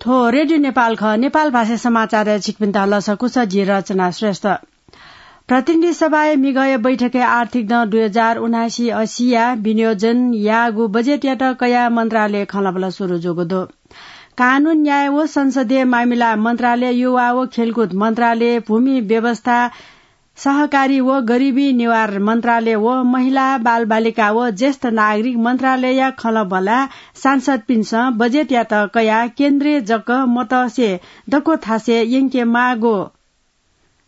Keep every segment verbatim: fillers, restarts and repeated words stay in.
थ्व रेडियो नेपाल खः। नेपाल भाषा समाचार छिकपिन्त लसकुस, जि रचना श्रेष्ठ। प्रतिनिधि सभाया मिगःया बैठकय् आर्थिक दँ दुई हजार उनासी असीया विनियोजन याःगु बजेटयात कयाः मन्त्रालय खँल्हाबल्हा सुरु जूगु दु। कानून, न्याय व संसदीय मामिला मन्त्रालय, युवा व खेलकुद मन्त्रालय, भूमि व्यवस्था, सहकारी व गरिबी निवारण मन्त्रालय व महिला, बालबालिका व ज्येष्ठ नागरिक मन्त्रालयया खँल्हाबल्हाय् सांसदपिन्सं बजेटयात कयाः केन्द्रय् जक मतसे दक्व थासय् यंके माःगु,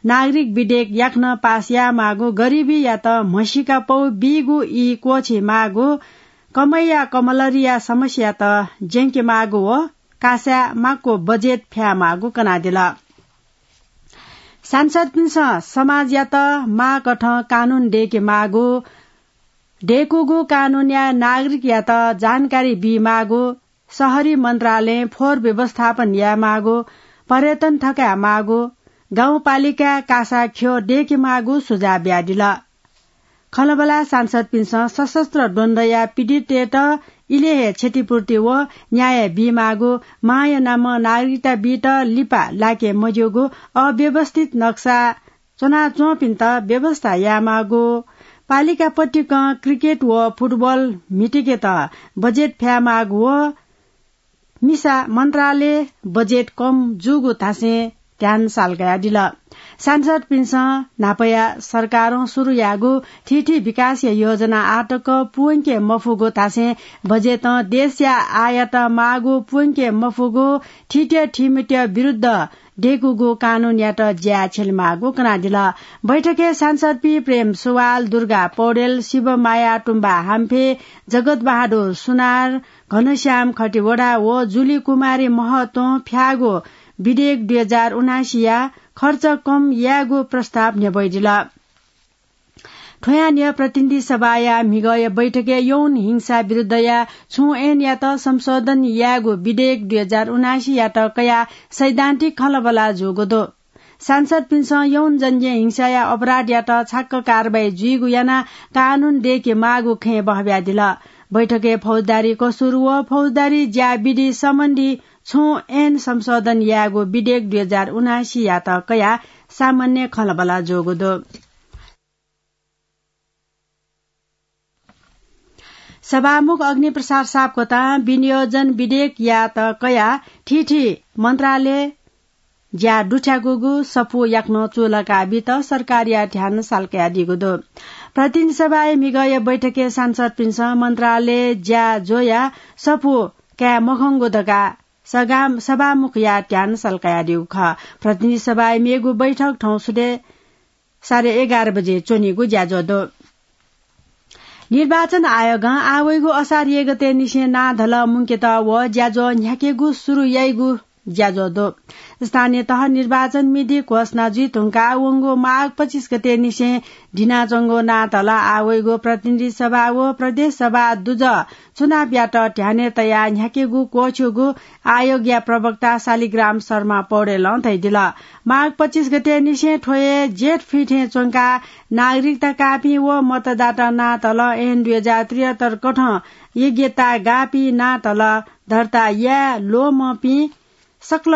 नागरिक विधेयक याकनं पास याये माःगु, गरिबीयात म्हसीका पौ बीगु ई क्वःछी माःगु, कमैया कमलरिया समस्यात ज्यंके माःगु व कासाय् माक्व बजेट फ्याये माःगु कनादिल। सांसदपिन्सं समाजयात माःकथं कानून दय्के माःगु, दय्कूगु कानूनया नागरिकयात जानकारी बी माःगु, शहरी मन्त्रालयं फोहोर व्यवस्थापन याये माःगु, पर्यटन थकाये माःगु, गाउँपालिकाय् कासा ख्यः दय्के माःगु सुझाव बियादिल। खँल्हाबल्हाय् सांसदपिन्सं सशस्त्र द्वन्द्वया पीडिततय्त इलय् हे क्षतिपूर्ति व न्याय बी माःगु, मांया नामं नागरिकता बीत लिपा लाके मज्यूगु, अव्यवस्थित नक्सा च्वनाच्वंपिन्त व्यवस्था याये माःगु, पालिका पतिकं क्रिकेट व फुटबल म्हितीकेत बजेट फ्याये माःगु व मिसा मन्त्रालय बजेट कम जूगु थासय् ध्यान साल कयादिल। सांसदपिन्सं न्हापाया सरकारं सुरु याःगु थीथी विकासया योजना आःतक पूवंके मफुगु थासय् बजेटं देशया आयत माःगु पूवंके मफुगु थीथी थीमित विरुद्ध दय्कूगु कानूनयात ज्याय् छ्यले माःगु कनादिल। बैठकय् सांसदपिं प्रेम सुवाल, दुर्गा पौडेल, शिवमाया तुम्बा हाम्फे, जगत बहादुर सुनार, घनश्याम खतिवडा व जुली कुमारी महतों फ्याःगु विधेयक दुई हजार उनासीया खर्च कम यायेगु प्रस्ताव न्ह्यब्वयादिल। थ्वयां न्ह्यः प्रतिनिधि सभाया म्हिगःया बैठकय् यौन हिंसा विरुद्धया छुं ऐनयात संशोधन यायेगु विधेयक दुई हजार उनासीयात कयाः सैद्धान्तिक खँल्हाबल्हा जूगु दु। सांसदपिन्सं यौन जन्य हिंसाया अपराधयात छाक्क कारवाही जुइगु यानाः कानून दय्के माःगु खँय् बहब्यादिल। बैठकय् फौजदारी कसुर व फौजदारी ज्या विधि सम्बन्धी छुं ऐन संशोधन यायेगु विधेयक दुई हजार उनासीयात कयाः सामान्य खँल्हाबल्हा जूगु दु। सभामुख अग्निप्रसाद सापकोटां विनियोजन विधेयकयात कयाः थीथी मन्त्रालय ज्या दुथ्याकूगु सफू याकनं चूलाका बीत सरकारया ध्यान साल कयादीगु दु। प्रतिनिधि सभाया म्हिगःया बैठकय् सांसदपिन्सं मन्त्रालय ज्या ज्वयाः सफू काये मखंगु धकाः सगा-, सभामुखया ध्यान साल कयादीगु खः। प्रतिनिधि सभाया मेगु बैठक थौं सुथय् साढे एघार बजे च्वनीगु ज्याझ्वः दु। निर्वाचन आयोगं आः वइगु असार एक गते निसें नां धलः मुंकेत व ज्याझ्वः न्ह्याकेगु सुरु याइगु ज्याझ्वः दु। स्थानीय तह निर्वाचन मिति घोषणा जुइ धुंकाः वंगु माघ पच्चिस गते निसें दिनाच्वंगु नां धलः आः वइगु प्रतिनिधि सभा व प्रदेश सभा दुजः चुनावयात ध्यानय् तयाः न्ह्याकेगु क्वःछ्यूगु आयोगया प्रवक्ता शालिग्राम शर्मा पौडेलं धयादिल। माघ पच्चिस गते निसें थ्व हे जेठ फिथें च्वंकाः नागरिकता काःपिं व मतदाता नां धलः ऐन दुई हजार त्रिहत्तर कथं योग्यता गाःपिं नां धलः दर्ता याये ल्वःमंपिं सकल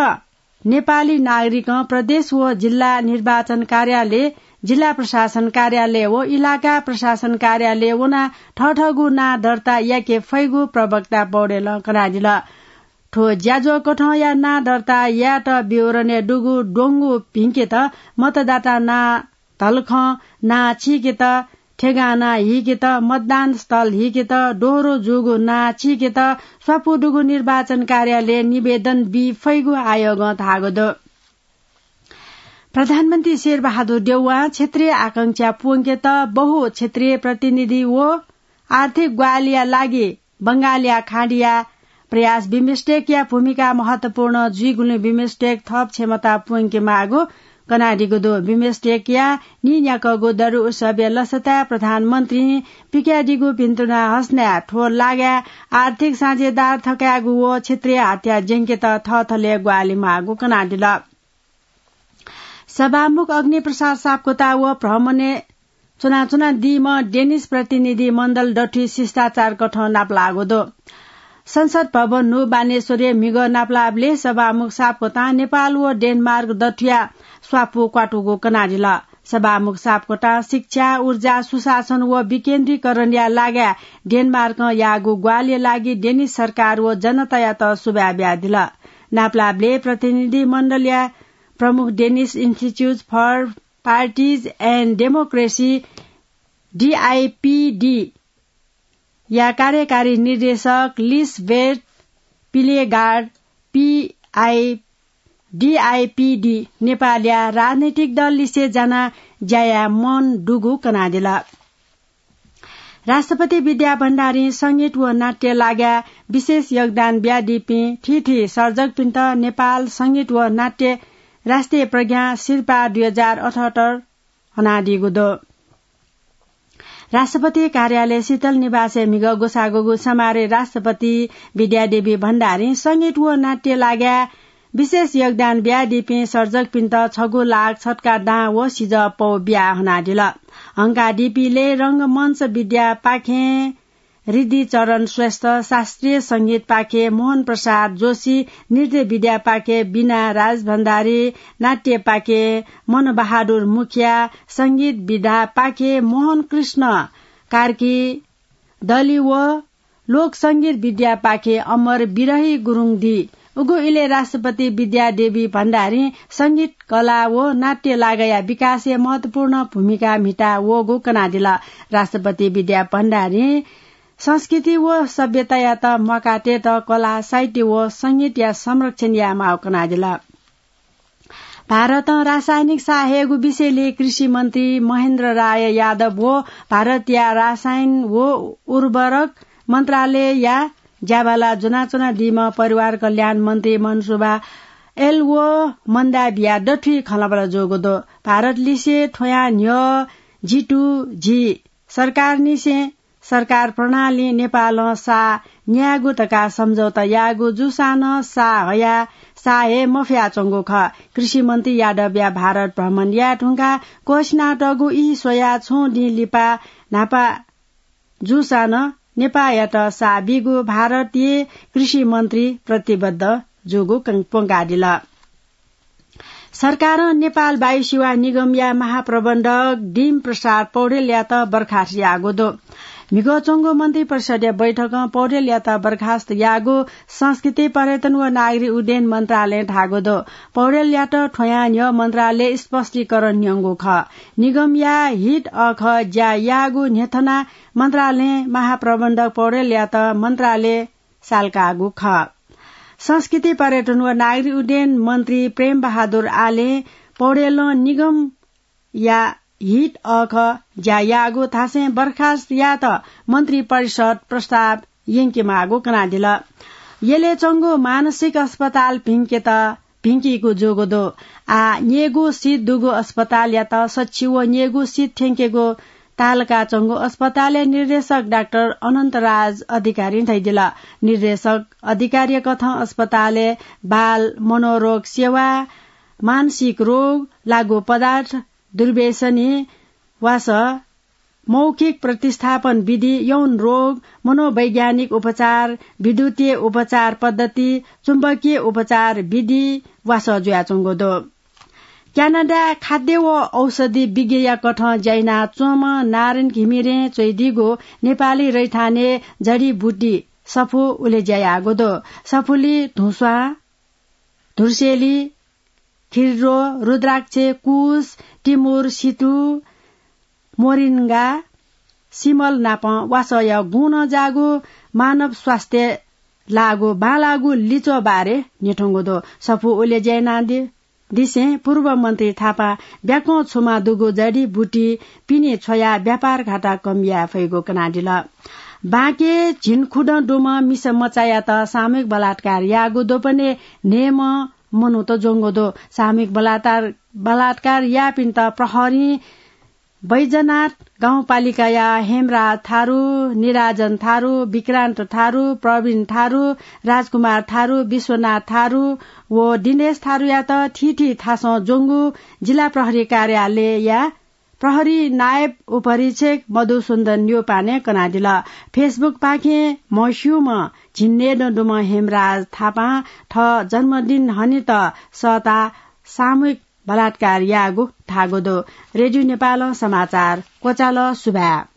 नेपाली नागरिकं प्रदेश व जिल्ला निर्वाचन कार्यालय, जिल्ला प्रशासन कार्यालय व इलाका प्रशासन कार्यालय वनाः थःथःगु नां दर्ता याके फइगु प्रवक्ता पौडेलं कनादिल। थ्व ज्याझ्वः कथंया नां दर्ता यायेत विवरणय् दुगु द्वंगु भिंकेत, मतदाता नां धलखं नां चीकेत, ठेगाना हीकेत, मतदान स्थल हीकेत, दोहोरो जूगु नां चीकेत स्वापू दुगु निर्वाचन कार्यालयय् निवेदन बी फइगु आयोगं धाःगु दु। प्रधानमन्त्री शेरबहादुर देउवां क्षेत्रीय आकांक्षा पूवंकेत बहु क्षेत्रीय प्रतिनिधि व आर्थिक ग्वाहालिया लागि बंगालया खाँडिया प्रयास बिमस्टेकया भूमिका महत्वपूर्ण जुइगुलिं बिमस्टेक थप क्षमता पूवंके माःगु कनादीगु दु। बिमस्टेकया नीन्याकःगु दरु उत्सवया लसताय् प्रधानमन्त्रीं पिकयादीगु भिन्तुना हसनाय् थ्व लागाय् आर्थिक साझेदार थकायेगु व क्षेत्रीय हतियार ज्यंकेत थःथलय् ग्वाहालि माःगु कनादिल। सभामुख अग्निप्रसाद सापकोटा व भ्रमणय् च्वनाच्वनादीम्ह डेनिस प्रतिनिधि मण्डल दथुइ शिष्टाचार कथं नापलाःगु दु। संसद भवन न्हू बानेश्वरय् म्हिगः नापलाःबलय् सभामुख सापकोटां नेपाल व डेनमार्क दथुया स्वापू क्वातुगु कनादिल। सभामुख सापकोटां शिक्षा, ऊर्जा, सुशासन व विकेन्द्रीकरणया लागाय् डेनमार्कं याःगु ग्वाहालिया लागि डेनिश सरकार व जनतायात सुभाय् बियादिल। नापलाःबलय् प्रतिनिधि मण्डलया प्रमुख Danish Institute for Parties and Democracy, डिआइपिडी, या कार्यकारी निर्देशक लिसबेर्ट पिलेगार्ड, पिआइ, डिआइपिडी, नेपालया राजनैतिक दल लिसे जानाः ज्या याये मन दुगु कनादिल। राष्ट्रपति विद्या भण्डारीं संगीत व नाट्य लागाय् विशेष योगदान बियादीपिं थीथी सर्जकपिन्त नेपाल संगीत व नाट्य राष्ट्रिय प्रज्ञा सिरपाः दुई हजार अठहत्तर हनादीगु दु। राष्ट्रपति कार्यालय शीतल निवासय् म्हिगः ग्वसाःगु समारोहय् राष्ट्रपति विद्यादेवी भण्डारीं संगीत व नाट्य लागाय् विशेष योगदान बियादीपिं सर्जकपिन्त छगू लाख छत्कार दां व सिजः पौ बिया हनादिल। हंकादीपिं लय् रंगमञ्च विद्यापाखें रिद्धिचरण श्रेष्ठ, शास्त्रीय संगीतपाखें मोहन प्रसाद जोशी, नृत्य विद्यापाखें बिना राजभण्डारी, नाट्यपाखें मनबहादुर मुखिया, संगीत विधापाखें मोहन कृष्ण कार्की, दलि व लोक संगीत विद्यापाखें अमर बिरही गुरुङ दी। उगु इलय् राष्ट्रपति विद्यादेवी भण्डारीं संगीत, कला व नाट्य लागाया विकासय् महत्वपूर्ण भूमिका म्हिता वःगु कनादिल। राष्ट्रपति विद्या भण्डारीं संस्कृति व सभ्यतायात म्वाकातयेत कला, साहित्य व संगीतया संरक्षण यायेमाःगु कनादिल। भारतं रासायनिक साः हयेगु विषयलय् कृषि मन्त्री महेन्द्र राय यादव व भारतया रसायन व उर्वरक मन्त्रालयया ज्याबाला ज्वनाच्वनादीम्ह परिवार कल्याण मन्त्री मनसुबा एल व मन्दाविया दथुइ खँल्हाबल्हा जूगु दु। भारत लिसे थ्वयां न्ह्यः जी टू जी सरकारनिसें सरकार प्रणालीं नेपालं साः न्यायेगु धकाः सम्झौता याःगु जूसां नं साः हयाः साः हये मफयाच्वंगु खः। कृषि मन्त्री यादवया भारत भ्रमण याये धुंकाः क्वसिनातःगु ई स्वयाः छुं दिं लिपा न्हापा जूसां नं नेपाःयात साः बीगु भारतीय कृषि मन्त्री प्रतिबद्ध जूगु कं-, प्वंकादिल। सरकारं नेपाल वायु सेवा निगमया महाप्रबन्धक डीम प्रसाद पौडेलयात बर्खास्त याःगु दु। म्हिगः च्वंगु मन्त्री परिषदया बैठकं पौडेलयात बर्खास्त याःगु संस्कृति, पर्यटन व नागरिक उड्डयन मन्त्रालयं धाःगु दु। पौडेलयात थ्वयां न्ह्यः मन्त्रालयय् स्पष्टीकरण न्यंगु खः। निगमया हित अःखः ज्या याःगु न्ह्यथनाः मन्त्रालयं महाप्रबन्धक पौडेलयात मन्त्रालय सालकाःगु खः। संस्कृति, पर्यटन व नागरिक उड्डयन मन्त्री प्रेम बहादुर आलें पौडेलं निगमया हित अःखः ज्या याःगु धासें बर्खास्त यायेत मन्त्री परिषद प्रस्ताव यंकेमाःगु कनादिल। यलय् च्वंगु मानसिक अस्पताल भिंकेत भिंकीगु जूगु दु। आः न्ययेगु सिट दुगु अस्पतालयात सछि व न्ययेगु सिट थ्यंकेगु तालका च्वंगु अस्पतालया निर्देशक डाक्टर अनन्तराज अधिकारीं धयादिल। निर्देशक अधिकारीया कथं अस्पतालय् बाल मनोरोग सेवा, मानसिक रोग, लागू पदार्थ, दुर्व्यसनी, वासः, मौखिक प्रतिस्थापन विधि, यौन रोग, मनोवैज्ञानिक उपचार, विद्युतीय उपचार पद्धति, चुम्बकीय उपचार विधि वासः जुयाच्वंगु दु। क्यानाडाय् खाद्य व औषधि विज्ञया कथं ज्या यानाच्वंम्ह नारायण घिमिरें च्वयादीगु नेपाली रैथानय् जडीबुटी सफू उलेज्या याःगु दु। सफूली धुस्वां, धुर्सेली, खिर्रो, रुद्राक्ष, कुश, टिमुर, सितु, मोरिङ्गा, सिमल नाप वासःया गुणं जाःगु मानव स्वास्थ्य लाःगु बांलाःगु लिच्वः बारे न्ह्यथंगु दु। सफू उलेज्या यानादि दिसें पूर्व मन्त्री थापां ब्याकं छुमा दुगु जडीबुटी पिने छ्वयाः व्यापार घाटा कम याये फइगु कनादिल। बांके झिंखुदँ दुम्ह मिसा मचायात सामूहिक बलात्कार याःगु द्वपनय् न्हय्म्ह मनूत ज्वंगु दु। सामूहिक बलात्कार, बलात्कार याःपिन्त प्रहरीं बैजनाथ गाउँपालिकाया हेमराज थारु, निराजन थारु, विक्रान्त थारु, प्रवीण थारु, राजकुमार थारु, विश्वनाथ थारु व दिनेश थारुयात थीथी थासं ज्वंगु जिल्ला प्रहरी कार्यालयया प्रहरी नायब उपरीक्षक मधुसुन्दन न्यौपाने कनादिल। Facebook पाखें म्हस्यूम्ह झिंन्हय्दँ दुम्ह हेमराज थापां थः जन्मदिन हनेत सःताः सामूहिक बलात्कार याःगु धाःगु दु। रेडियो नेपालं समाचार क्वचाल। सुभाय्।